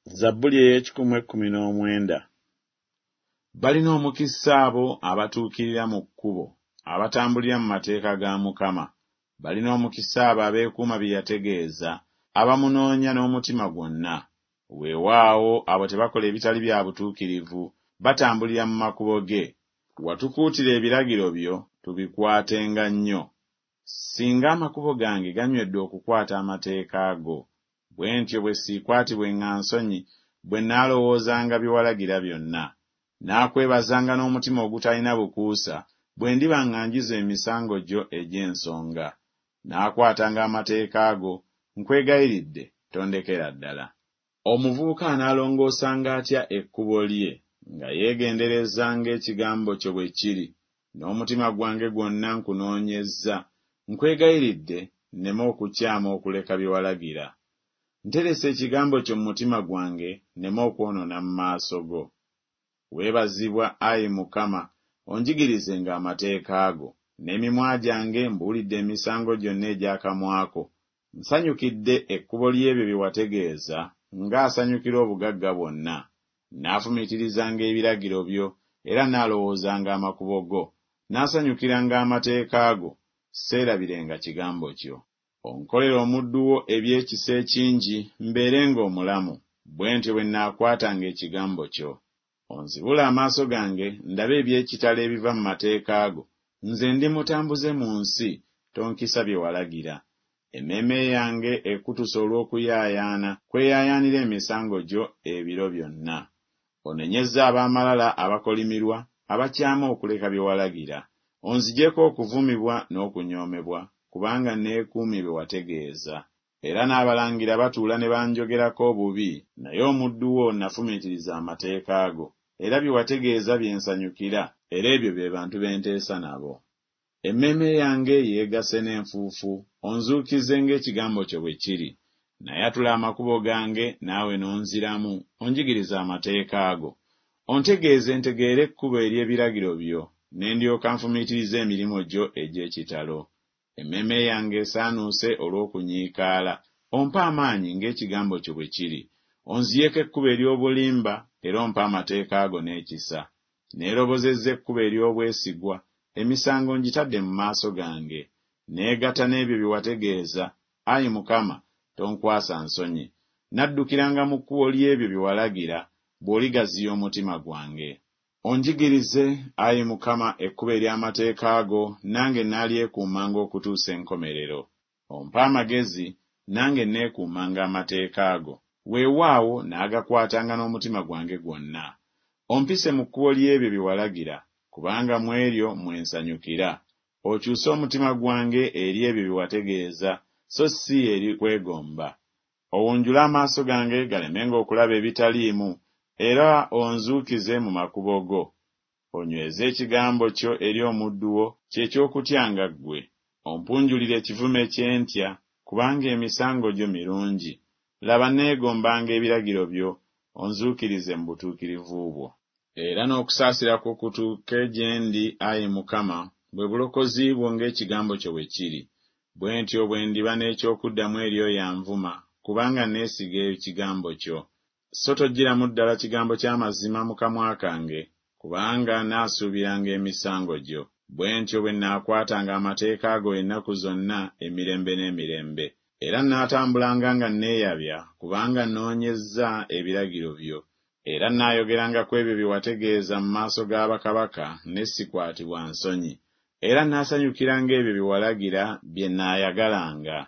Zabbuli ey'ekikumu ekkumi n'omwenda. Balina omukisa abo abatuukirira mu kkubo, abatambulira mu mateeka ga Mukama. Balina omukisa abo abeekuuma bye yategeeza, abamunoonya n'omutima gwonna. Weewaawo abo tebakola ebitali bya butuukirivu, batambulira mu makubo ge. Watukuutira ebiragiro byo, tubikwatenga nnyo. Singa amakubo gange ganywedde okukwata amateeka go! Bwe ntyo bwe siikwatibwenga nsonyi, bwe nnaalowoozanga bye walagira byonna. Nnaakwebazanga n'omutima ogutalina bukuusa, bwe ndiba nga njize emisango gyo egy'ensonga. Nnaakwatanga amateeka go, nkwegayiridde tondekera ddala. Omuvubuka anaalongoosanga atya ekkubo lye? Nga yeegendereza ng'ekigambo kyo bwe kiri. N'omutima gwange gwonna nkunoonyezza, nkwegayiridde nneme okukyama okuleka bye walagira. Nterese ekigambo kyo mu mutima gwange, nneme okwonoona mu maaso go. Weebazibwa, ayi Mukama, onjigirizenga amateeka go. N'emimwa gyange mbuulidde emisango gyonna egy'akamwa ko. Nsanyukidde ekkubo ly'ebyo bye wategeeza, ng'asanyukira obugagga bwonna. Nnaafumiitirizanga ebiragiro byo, era nnaalowoozanga amakubo go. Nnaasanyukiranga amateeka go, seerabirenga kigambo kyo. Onkolere omuddu wo eby'ekisa ekingi, mbeerenga omulamu, bwe ntyo bwe nnaakwatanga ekigambo kyo. Onzibule amaaso gange ndabe eby'ekitalo ebiva mu mateeka go. Nze ndi mutambuze mu nsi, tonkisa bye walagira. Emmeeme yange ekutuse olw'okuyaayaana, kweyaayaanira emisango gyo ebiro byonna. Onenyezza ab'amalala abakolimirwa, abakyama okuleka bye walagira. Onzigyeko okuvumibwa n'okunyoomebwa, kubanga neekuumye bye wategeeza. Era n'abalangira batuula ne banjogerako obubi, naye omuddu wo nafumiitiriza amateeka go. Era bye wategeeza bye nsanyukira, era ebyo be bantu be nteesa nabo. Emmeeme yange yeegasse n'enfuufu, onzuukize ng'ekigambo kyo bwe kiri. Nayatula amakubo gange, naawe n'onziramu, onjigirize amateeka go. Ontegeeze ntegeere ekkubo ery'ebiragiro byo, ne ndyoka nfumiitiriza emirimu gyo egy'ekitalo. Emmeeme yange esaanuuse olw'okunyiikaala, ompe amaanyi ng'ekigambo kyo bwe kiri. Onzigyeko ekkubo ery'obulimba, era ompe amateeka go n'ekisa. Neerobozezza ekkubo ery'obwesigwa, emisango ngitadde mu maaso gange. Neegatta n'ebyo bye wategeeza, ayi Mukama, tonkwasa nsonyi. Naddukiranga mu kkubo ly'ebyo bye walagira, bw'oligaziya omutima gwange. Onjigirize, ayi Mukama, ekkubo ery'amateeka go, nange nnaalyekuumanga okutuusa enkomerero. Ompe amagezi, nange nneekuumanga amateeka go. Weewaawo naagakwatanga n'omutima gwange gwonna. Ompise mu kkubo ly'ebyo bye walagira, kubanga mu eryo mwe nsanyukira. Okyuse omutima gwange eri ebyo bye wategeeza, so si eri kwegomba. Owunjule amaaso gange galemenga okulaba ebitaliimu, era onzuukize mu makubo go. Onyweze ekigambo kyo eri omuddu wo, kye ky'okutyanga ggwe. Ompunjulire ekivume kye ntya, kubanga emisango gyo mirungi. Laba nneegombanga ebiragiro byo, onzuukirize mu butuukirivu bwo. Era n'okusaasira kwo kutuuke gye ndi, ayi Mukama, bwe bulokozi bwo ng'ekigambo kyo bwe kiri. Bwe ntyo bwe ndiba n'eky'okuddamu eri oyo anvuma, kubanga neesiga ekigambo kyo. So toggyiramu ddala kigambo kya mazima mu kamwa kange, kubanga nnaasuubiranga emisango gyo. Bwe ntyo bwe nnaakwatanga amateeka go ennaku zonna emirembe n'emirembe. Era nnaatambulanga nga nneeyabya, kubanga nnoonyezza ebiragiro byo. Era nnaayogeranga ku ebyo bye wategeeza mu maaso ga bakabaka, ne sikwatibwa nsonyi. Era nnaasanyukiranga ebyo bye walagira bye nnaayagalanga.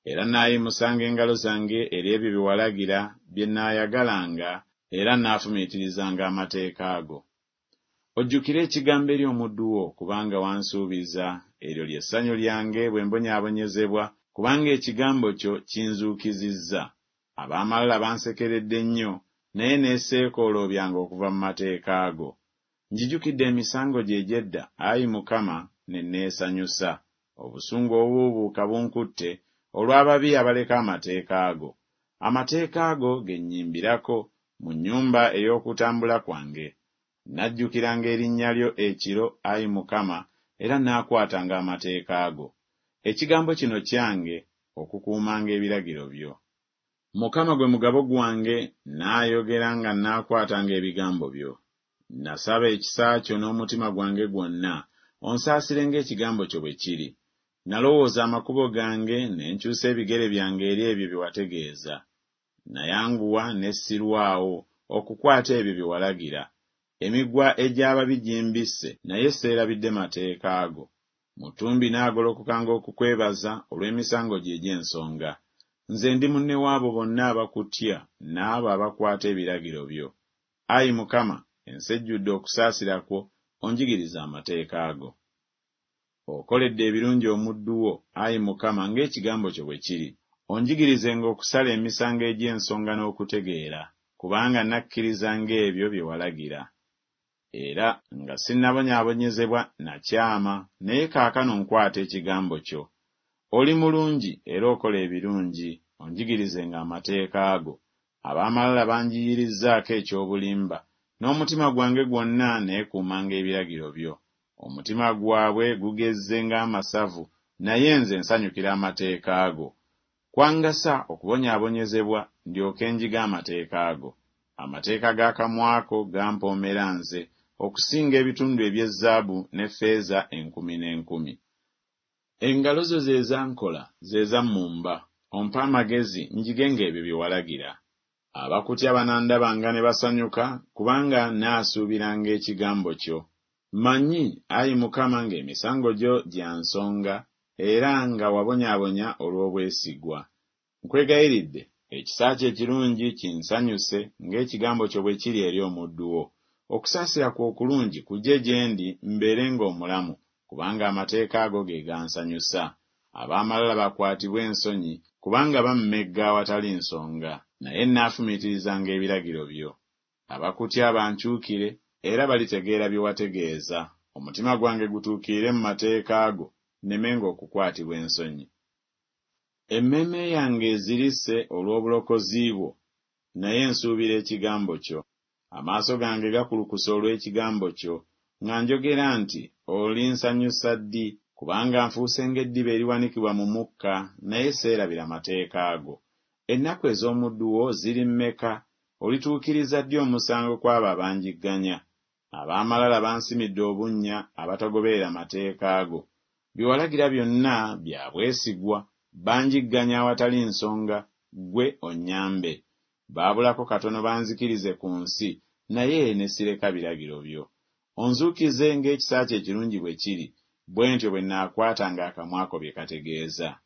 Era nnaayimusanga engalo zange eri ebyo bye walagira bye nnaayagalanga, era nnaafumiitirizanga amateeka go. Ojjukire ekigambo eri omuddu wo, kubanga wansuubiza, eryo lye ssanyu lyange bwe mbonyaabonyezebwa, kubanga ekigambo kyo kinzuukizizza. Ab'amalala bansekeredde nnyo, naye neeseekooloobyanga okuva mu mateeka go. Njijukidde emisango gyo egy'edda, ayi Mukama, ne neesanyusa. Obusungu obubuubuuka bunkutte olw'ababi abaleka amateeka go. Amateeka go ge nnyimbirako mu nnyumba ey'okutambula kwange. Nnajjukiranga erinnya lyo ekiro, ayi Mukama, era nnaakwatanga amateeka go. Ekigambo kino kyange, okukuumanga ebiragiro byo. Mukama gwe mugabo gwange, nnaayogera nga nnaakwatanga ebigambo byo. Nasaba ekisa kyo n'omutima gwange gwonna, onsaasire ng'ekigambo kyo bwe kiri. Nalowooza amakubo gange, ne nkyusa ebigere byange eri ebyo bye wategeeza. Nayanguwa ne sirwawo okukwata ebyo bye walagira. Emigwa egy'ababi gimbisse, naye seerabidde mateeka go. Mu ttumbi nnaagolokokanga okukwebaza olw'emisango gyo egy'ensonga. Nze ndi munne w'abo bonna abakutya n'abo abakwata ebiragiro byo. Ayi Mukama, ensi ejjudde okusaasira kwo, onjigirize amateeka go. Okoledde ebirungi omuddu wo, ayi Mukama, ng'ekigambo kyo bwe kiri. Onjigirizenga okusala emisango egy'ensonga n'okutegeera, kubanga nakkirizanga ebyo bye walagira. Era nga sinnabonyaabonyezebwa nakyama, naye kaakano nkwata ekigambo kyo. Oli mulungi era okola ebirungi, onjigirizenga amateeka go. Ab'amalala banjiiyirizzaako eky'obulimba, n'omutima gwange gwonna neekuumanga ebiragiro byo. Omutima gwabwe gugezze ng'amasavu, naye nze nsanyukira amateeka go. Kwangasa okubonyaabonyezebwa, ndyoke njige amateeka go. Amateeka g'akamwa ko gampoomera nze, okusinga ebitundu eby'ezaabu ne ffeeza enkumi n'enkumi. Engalo zo ze zankola, ze zammumba, ompe amagezi, njigenga ebyo bye walagira. Abakutya banandabanga ne basanyuka, kubanga nnaasuubiranga ekigambo kyo. Mmanyi, ayi Mukama, ng'emisango gyo gya nsonga, era nga wabonyaabonya olw'obwesigwa. Nkwegayiridde, ekisa kyo ekirungi kinsanyuse, ng'ekigambo kyo bwe kiri eri omuddu wo. Okusaasira kwo okulungi kujje gye ndi, mbeerenga omulamu, kubanga amateeka go ge gansanyusa. Ab'amalala bakwatibwe ensonyi, kubanga bammegga awatali nsonga, naye nnaafumiitirizanga ebiragiro byo. Abakutya bankyukire, era balitegeera bye wategeeza. Omutima gwange gutuukirire mu mateeka go, nnemenga okukwatibwa ensonyi. Emmeeme yange ezirise olw'obulokozi bwo, naye nsuubira ekigambo kyo. Amaaso gange gakulukuse olw'ekigambo kyo, nga njogera nti Olinsanyusa ddi? Kubanga nfuuse ng'eddiba eriwanikibwa mu mukka, naye seerabira mateeka go. Ennaku ez'omuddu wo ziri mmeka? Olituukiriza ddi omusango ku abo abanjigganya? Ab'amalala bansimidde obunnya, abatagoberera mateeka go. Bye walagira byonna bya bwesigwa, banjigganya awatali nsonga, ggwe onnyambe. Baabulako katono banzikirize ku nsi, naye ne sireka biragiro byo. Onzuukize ng'ekisa kyo ekirungi bwe kiri, bwe ntyo bwe nnaakwatanga akamwa ko bye kategeeza.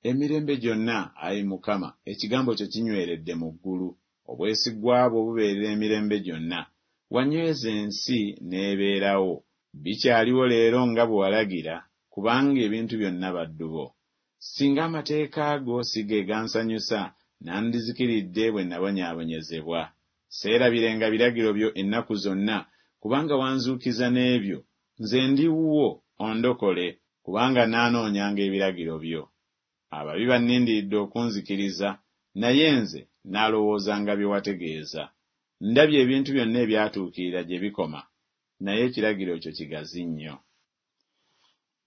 Emirembe gyonna, ayi Mukama, ekigambo kyo kinyweredde mu ggulu. Obwesigwa bwo bubeerera emirembe gyonna. Wanyweza ensi n'ebeerawo. Bikyaliwo leero nga bwe walagira, kubanga ebintu byonna baddu bo. Singa amateeka go si ge gansanyusa, nandizikiridde bwe nabonyaabonyezebwa. Seerabirenga biragiro byo ennaku zonna, kubanga wanzuukiza n'ebyo. Nze ndi wuwo, ondokole, kubanga nnaanoonyanga ebiragiro byo. Ababi bannindiridde okunzikiriza, naye nze nnaalowoozanga bye wategeeza. Ndabye ebintu byonna ebyatuukirira gye bikoma, naye ekiragiro kyo kigazi nnyo.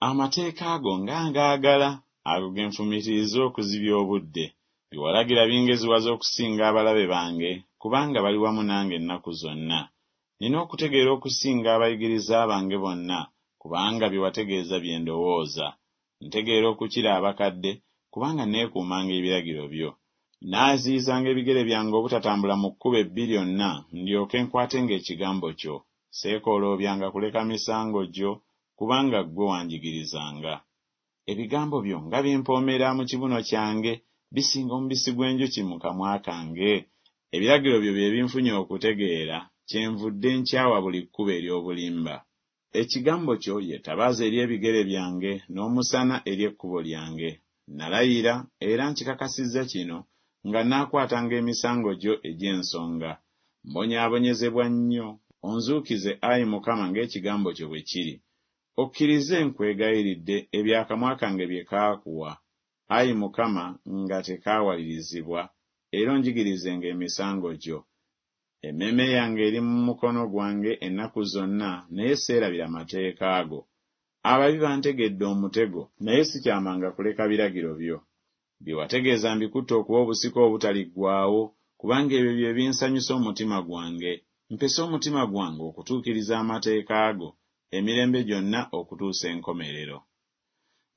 Amateeka go nga ngaagala, ago ge nfumiitiriza okuzibya obudde. Bye walagira bingeziwaza okusinga abalabe bange, kubanga bali wamu nange ennaku zonna. Nnina okutegeera okusinga abayigiriza bange bonna, kubanga bye wategeeza bye ndowooza. Ntegeera okukira abakadde, kubanga neekuumanga ebiragiro byo. Nnaaziyizanga ebigere byange obutatambula mu kkubo ebbi lyonna, ndyoke nkwatenga ekigambo kyo. Seekooloobyanga kuleka misango gyo, kubanga ggwe wanjigirizanga. Ebigambo byo nga bimpoomera mu kibuno kyange, bisinga omubisi gw'enjuki mu kamwa kange! Ebiragiro byo bye binfunye okutegeera, kyenvudde nkyawa buli kkubo ery'obulimba. Ekigambo kyo ye ttabaaza eri ebigere byange, n'omusana eri ekkubo lyange. Nalayira, era nkikakasizza kino, nga nnaakwatanga emisango gyo egy'ensonga. Mbonyaabonyezebwa nnyo, onzuukize, ayi Mukama, ng'ekigambo kyo bwe kiri. Okkirize, nkwegayiridde, ebyo akamwa kange bye kaakuwa, ayi Mukama, nga tekaawalirizibwa, era onjigirizenga emisango gyo. Emmeeme yange eri mu mukono gwange ennaku zonna, naye seerabira mateeka go. Ababi bantegedde omutego, naye sikyamanga kuleka biragiro byo. Bye wategeeza mbikutte okuba obusika obutaliggwaawo, kubanga ebyo bye binsanyusa omutima gwange. Mpese omutima gwange okutuukiriza amateeka go emirembe gyonna okutuusa enkomerero.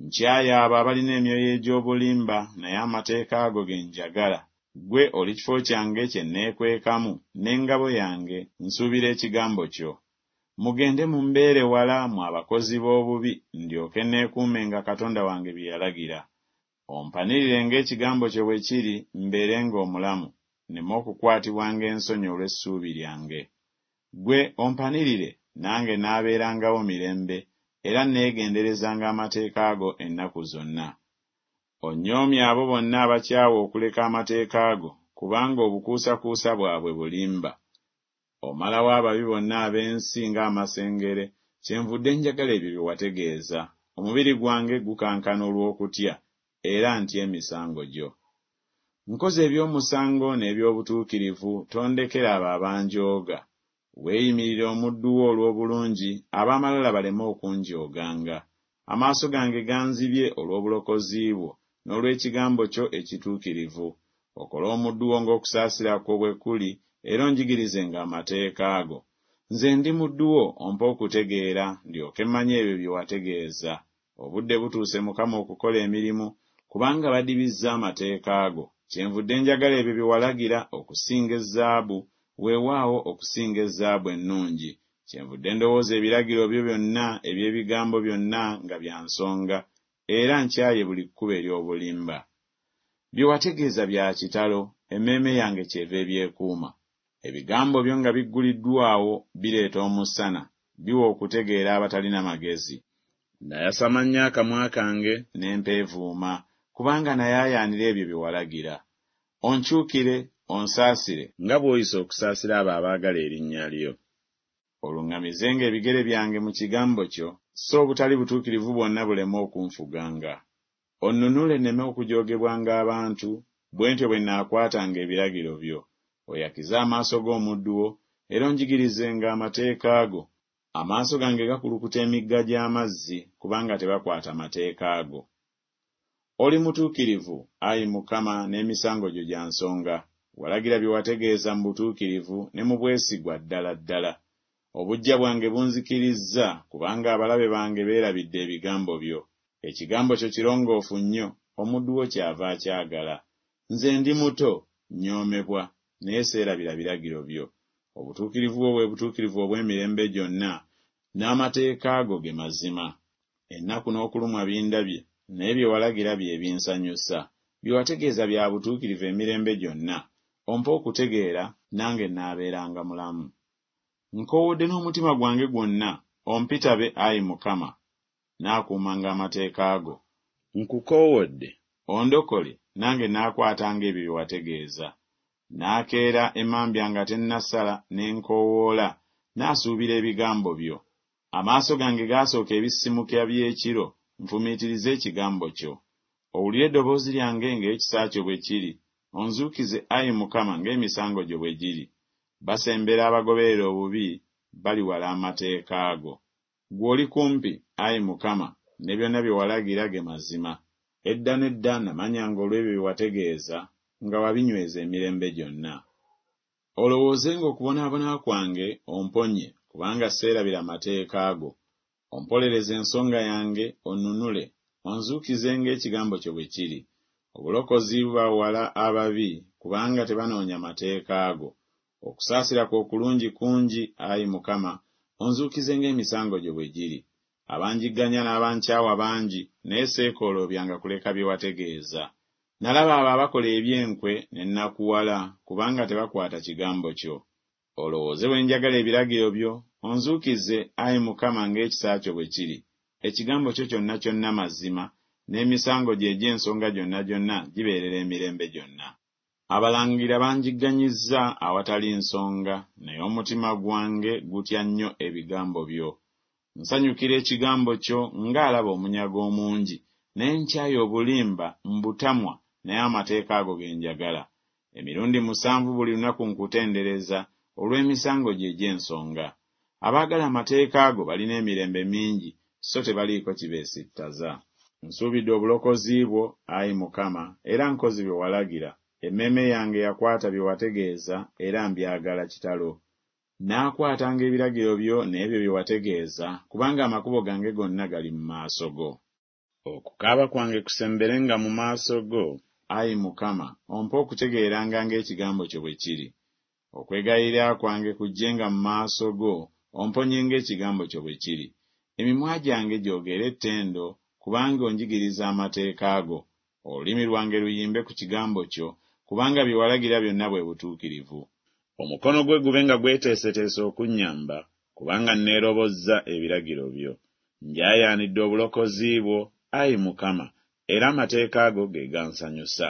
Nkyaye abo abalina emyoyo egy'obulimba, naye amateeka go ge njagala. Ggwe oli kifo kyange kye nneekwekamu, n'engabo yange, nsuubira ekigambo kyo. Mugende mumbeere wala mmwe abakozi b'obubi, ndyoke neekuumenga Katonda wange bye yalagira. Ompanirire ng'ekigambo kyo bwe kiri, mbeerenga omulamu, nneme okukwatibwanga ensonyi olw'essuubi lyange. Ggwe ompanirire, nange naabeerangawo mirembe, era nneegenderezanga amateeka go ennaku zonna. Onnyoomye abo bonna abakyawa okuleka amateeka go, kubanga obukuusakuusa bwabwe bulimba. Omalawo ababi bonna ab'ensi ng'amasengere, kyenvudde njagala ebyo bye wategeeza. Omubiri gwange gukankana olw'okutya, era ntya emisango gyo. Nkoze eby'omusango n'eby'obutuukirivu, tondekera abo abanjooga. Weeyimirire omuddu wo olw'obulungi, ab'amalala baleme okunjooganga. Amaaso gange ganzibye olw'obulokozi bwo, n'olw'ekigambo kyo ekituukirivu. Okole omuddu wo ng'okusaasira kwo bwe kuli, era onjigirizenga amateeka go. Nze ndi muddu wo, ompe okutegeera, ndyoke mmanye ebyo bye wategeeza. Obudde butuuse Mukama okukola emirimu, kubanga badibizza amateeka go. Kyenvudde njagala ebyo bye walagira okusinga ezaabu, weewaawo okusinga ezaabu ennungi. Kyenvudde ndowooza ebiragiro byo byonna eby'ebigambo byonna nga bya nsonga, era nkyaye buli kkubo ery'obulimba. Bye wategeeza bya kitalo, emmeeme yange kyeva ebyekuuma. Ebigambo byo nga bigguliddwawo bireeta omusana, biwa okutegeera abatalina magezi. Nayasama nnyo akamwa kange ne mpeevuuma, kubanga nayaayaanira ebyo bye walagira. Onkyukire, onsaasire, nga bw'oyisa okusaasira abo abaagala erinnya lyo. Oluŋŋamizenga ebigere byange mu kigambo kyo, so obutali butuukirivu bwonna buleme okunfuganga. Onnunule nneme okujoogebwanga abantu, bwe ntyo bwe nnaakwatanga ebiragiro byo. Oyakize amaaso g'omuddu wo, era onjigirizenga amateeka go. Amaaso gange gakulukuta emigga gy'amazzi, kubanga tebakwata mateeka go. Oli mutuukirivu, ayi Mukama, n'emisango gyo gya nsonga. Walagira bye wategeeza mu butuukirivu ne mu bwesigwa ddala ddala. Obuggya bwange bunzikirizza, kubanga abalabe bange beerabidde ebigambo byo. Ekigambo kyo kirongoofu nnyo, omuddu wo kyava akyagala. Nze ndi muto, nnyoomebwa, naye seerabira biragiro byo. Obutuukirivu bwo bwe butuukirivu obw'emirembe gyonna, n'amateeka go ge mazima. Ennaku n'okulumwa bindabye, naye bye walagira bye binsanyusa. Bye wategeeza bya butuukirivu emirembe gyonna, ompe okutegeera, nange nnaabeeranga mulamu. Nkoowodde n'omutima gwange gwonna, ompitabe, ayi Mukama, naakuumanga amateeka go. Nkukoowodde, ondokole, nange naakwatanga ebyo bye wategeeza. Naakeera emmambya nga tennasala, ne nkoowoola, naasuubira ebigambo byo. Amaaso gange gaasooka ebisisimukira by'ekiro, nfumiitirize ekigambo kyo. Owulire eddoboozi lyange ng'ekisa kyo bwe kiri, onzuukize, ayi Mukama, ng'emisango gyo bwe giri. Basembera abagoberera obubi, baliwala amateeka go. Ggwe oli kumpi, ayi Mukama, ne byonna bye walagira ge mazima. Edda n'edda namanyanga olw'ebyo bye wategeeza, nga wabinyweza emirembe gyonna. Olowoozenga okubonaabona kwange, omponye, kubanga seerabira mateeka go. Ompolereze ensonga yange, onnunule, onzuukize ng'ekigambo kyo bwe kiri. Obulokozi buba wala ababi, kubanga tebanoonya mateeka go. Okusaasira kwo okulungi kungi, ayi Mukama, onzuukize ng'emisango gyo bwe giri. Abanjigganya n'abankyawa bangi, naye seekooloobyanga kuleka bye wategeeza. Nalaba abo abakola eby'enkwe ne nnakuwala, kubanga tebakwata kigambo kyo. Olowooze bwe njagala ebiragiro byo, onzuukize, ayi Mukama, ng'ekisa kyo bwe kiri. Ekigambo kyo kyonna kyonna mazima, n'emisango gyo egy'ensonga gyonna gyonna gibeerera emirembe gyonna. Abalangira banjigganyizza awatali nsonga, naye omutima gwange gutya nnyo ebigambo byo. Nsanyukira ekigambo kyo ng'alaba omunyago omungi, naye nkyaye obulimba, mbutamwa, naye amateeka go ge njagala. Emirundi musanvu buli lunaku nkutendereza olw'emisango gyo egy'ensonga. Abaagala amateeka go balina emirembe mingi, so tebaliiko kibeesittaza. Nsuubidde obulokozi bwo, ayi Mukama, era nkoze bye walagira. Emmeeme yange yakwata bye wategeeza, era mbyagala kitalo. Nnaakwatanga ebiragiro byo n'ebyo bye wategeeza, kubanga amakubo gange gonna gali mu maaso go. Okukaaba kwange kusemberenga mu maaso go, ayi Mukama, ompe okutegeeranga ng'ekigambo kyo bwe kiri. Okwegayirira kwange kujjenga mu maaso go, omponye ng'ekigambo kyo bwe kiri. Emimwa gyange gyogere ettendo, kubanga onjigiriza amateeka go. Olulimi lwange luyimbe ku kigambo kyo, kubanga bye walagira byonna bwe butuukirivu. Omukono gwe gube nga gweteeseteese okunnyamba, kubanga nneerobozza ebiragiro byo. Njaayaanidde obulokozi bwo, ayi Mukama, era amateeka go ge gansanyusa.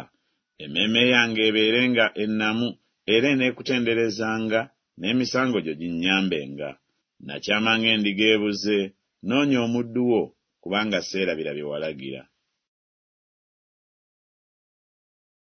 Emmeeme yange ebeerenga ennamu era eneekutenderezanga, n'emisango gyo ginnyambenga. Nakyama ng'endiga ebuze, noonya omuddu wo, kubanga seerabira bye walagira.